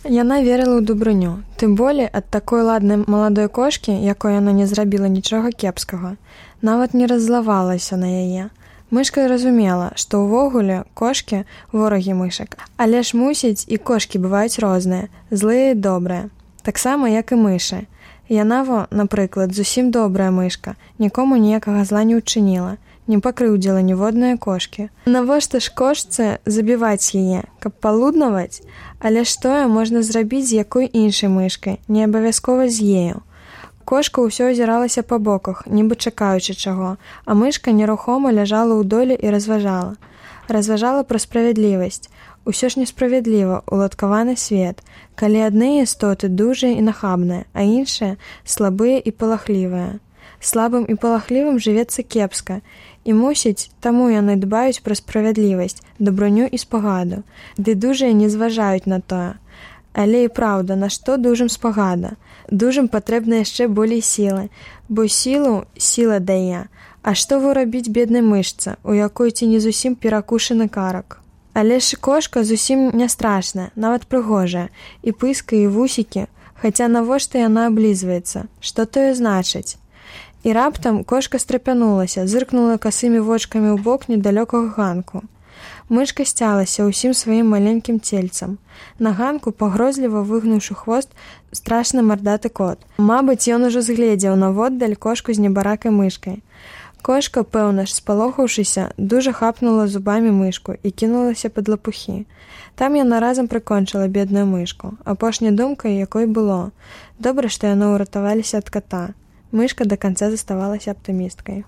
Яна верыла ў дабрыню, тым болей ад такой ладнай маладой кошкі, якой яна не зрабіла нічога кепскага. Нават не раззлавалася на яе. Мышка разумела, што ўвогуле кошкі ворагі мышак, але ж мусіць і кошкі бываюць розныя, злыя і добрыя. Таксама, як і мышы. Яна, напрыклад, зусім добрая мышка, нікому ніякага зла не ўчыніла, не пакрыўдзіла ніводныя кошкі. Навошта ж кошцы забіваць яе, каб палуднаваць? Але ж тое можна зрабіць з якой іншай мышкай, не абавязкова з ею. Кошка ўсё азіралася па боках, нібы чакаючы чаго, а мышка нерухома ляжала ў доле і разважала. Разважала пра справядлівасць. Усё ж несправядліва уладкаваны свет, калі адны істоты дужыя і нахабныя, а іншыя слабыя і палахлівыя. Слабым і палахлівым жывецца кепска, і мусіць, таму яны дбаюць пра справядлівасць, дабрыню і спагаду, ды дужыя не зважаюць на тое. Але і праўда, на што дужым спагада? Дужым патрэбна яшчэ болей сілы, бо сілу сіла дае. А што рабіць беднай мышцы, у якой ці не зусім перакушаны карак? Але ж кошка зусім не страшная, нават прыгожая, і пыска, і вусікі, хаця навошта яна аблізваецца? Што тое значыць? І раптам кошка страпянулася, зыркнула касымі вочкамі ў бок недалёкага ганку. Мышка сцялася ўсім сваім маленькім цельцам. На ганку, пагрозліва выгнуўшы хвост, страшны мардаты кот. Мабыць, ён ужо згледзеў наводдаль кошку з небаракай мышкай. Кошка, пэўна ж, спалохаўшыся, дужа хапнула зубамі мышку і кінулася пад лапухі. Там яна разам прыкончыла бедную мышку, апошняй думкай якой было. Добра, што яны ўратаваліся ад ката. Мышка да канца заставалася аптымісткай.